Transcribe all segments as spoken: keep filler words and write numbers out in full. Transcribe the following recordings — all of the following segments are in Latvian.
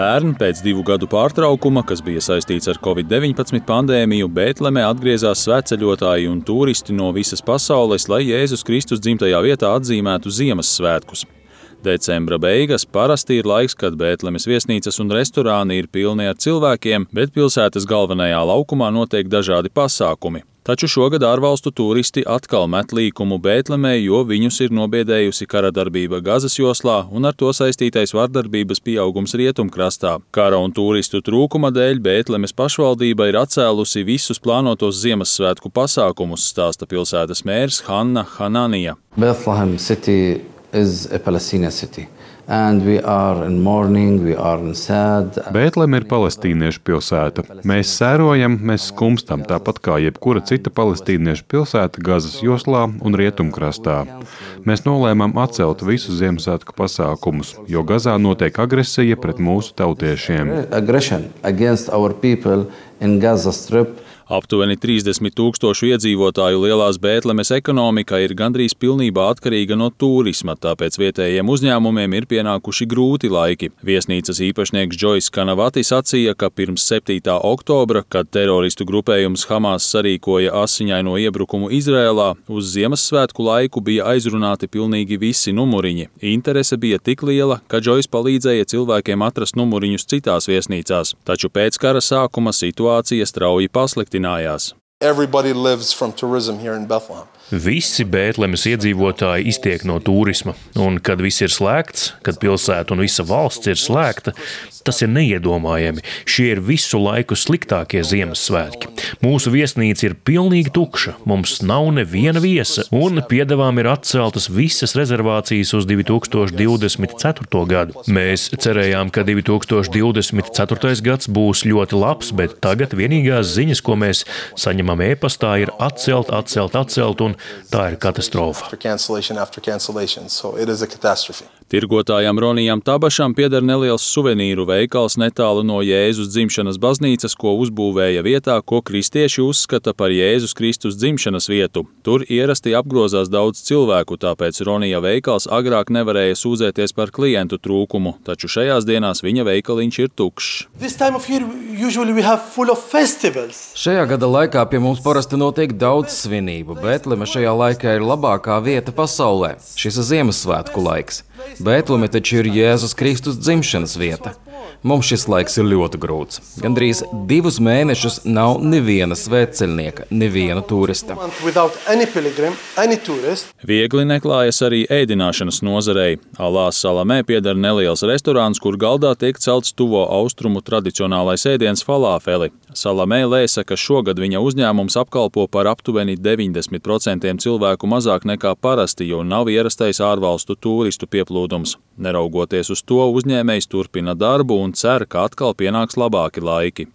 Pērn pēc divu gadu pārtraukuma, kas bija saistīts ar covid deviņpadsmit pandēmiju, Bētlemē atgriezās svētceļotāji un turisti no visas pasaules, lai Jēzus Kristus dzimtajā vietā atzīmētu Ziemassvētkus. Decembra beigas parasti ir laiks, kad Bētlemes viesnīcas un restorāni ir pilni ar cilvēkiem, bet pilsētas galvenajā laukumā notiek dažādi pasākumi. Taču šogad ārvalstu turisti atkal met līkumu Bētlemē, jo viņus ir nobiedējusi kara darbība Gazas joslā un ar to saistītais vardarbības pieaugums rietumkrastā. Kara un turistu trūkuma dēļ Bētlemes pašvaldība ir atcēlusi visus plānotos Ziemassvētku pasākumus, stāsta pilsētas mērs Hanna Hananija. Bethlehem city is a Palestinian city. And we are in mourning, we are in sad. Bētleme ir palestīniešu pilsēta. Mēs sērojam, mēs skumstam, tāpat kā jebkura cita palestīniešu pilsēta Gazas joslā un rietumkrastā. Mēs nolēmām atcelt visus Ziemassvētku pasākumus, jo Gazā notiek agresija pret mūsu tautiešiem. Aggression against our people in Gaza Strip. Aptuveni trīsdesmit tūkstošu iedzīvotāju lielās Bētlemes ekonomika ir gandrīz pilnībā atkarīga no turisma, tāpēc vietējiem uzņēmumiem ir pienākuši grūti laiki. Viesnīcas īpašnieks Džojs Kanavati sacīja, ka pirms septītā oktobra, kad teroristu grupējums Hamas sarīkoja asiņaino iebrukumu Izrēlā, uz Ziemassvētku laiku bija aizrunāti pilnīgi visi numuriņi. Interese bija tik liela, ka Džojs palīdzēja cilvēkiem atrast numuriņus citās viesnīcās, taču pēc kara sākuma situācija strauji pasliktinājās. Everybody lives from tourism here in Bethlehem. Visi Bētlemes iedzīvotāji iztiek no turisma, un kad viss ir slēgts, kad pilsēta un visa valsts ir slēgta, tas ir neiedomājami. Šie ir visu laiku sliktākie Ziemassvētki. Mūsu viesnīca ir pilnīgi tukša, mums nav neviena viesa, un piedevām ir atceltas visas rezervācijas uz divi tūkstoši divdesmit ceturto gadu. Mēs cerējām, ka divi tūkstoši divdesmit ceturtais gads būs ļoti labs, bet tagad vienīgās ziņas, ko mēs saņemam e-pastā, ir atcelt, atcelt, atcelt, un tā ir katastrofa. Tirgotājam Ronijam Tabašam pieder neliels suvenīru veikals netālu no Jēzus dzimšanas baznīcas, ko uzbūvēja vietā, ko kristieši uzskata par Jēzus Kristus dzimšanas vietu. Tur ierasti apgrozās daudz cilvēku, tāpēc Ronija veikals agrāk nevarēja sūdzēties par klientu trūkumu, taču šajās dienās viņa veikaliņš ir tukšs. Šajā gada laikā pie mums parasti notiek daudz svinību, Bētleme šajā laikā ir labākā vieta pasaulē. Šis ir Ziemassvētku laiks. Bētleme taču ir Jēzus Kristus dzimšanas vieta. Mums šis laiks ir ļoti grūts. Gandrīz divus mēnešus nav neviena svētceļnieka, neviena turista. Viegli neklājas arī ēdināšanas nozarei. Alā Salamē pieder neliels restorāns, kur galdā tiek celts tuvo austrumu tradicionālais ēdiens falāfeli. Salamē lēsa, ka šogad viņa uzņēmums apkalpo par aptuveni deviņdesmit procentiem cilvēku mazāk nekā parasti, jo nav ierastais ārvalstu turistu pieplūdums. Neraugoties uz to, uzņēmējs turpina darbu un cer, ka atkal pienāks labāki laiki.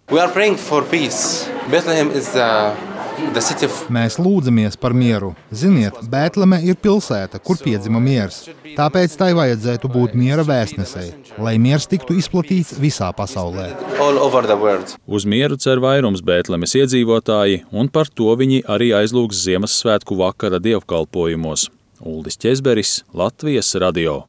Mēs lūdzamies par mieru. Ziniet, Bētleme ir pilsēta, kur piedzima miers. Tāpēc tai vajadzētu būt miera vēstnesei, lai miers tiktu izplatīts visā pasaulē. Uz mieru cer vairums Bētlemes iedzīvotāji, un par to viņi arī aizlūgs Ziemassvētku vakara dievkalpojumos. Uldis Ķezberis, Latvijas radio.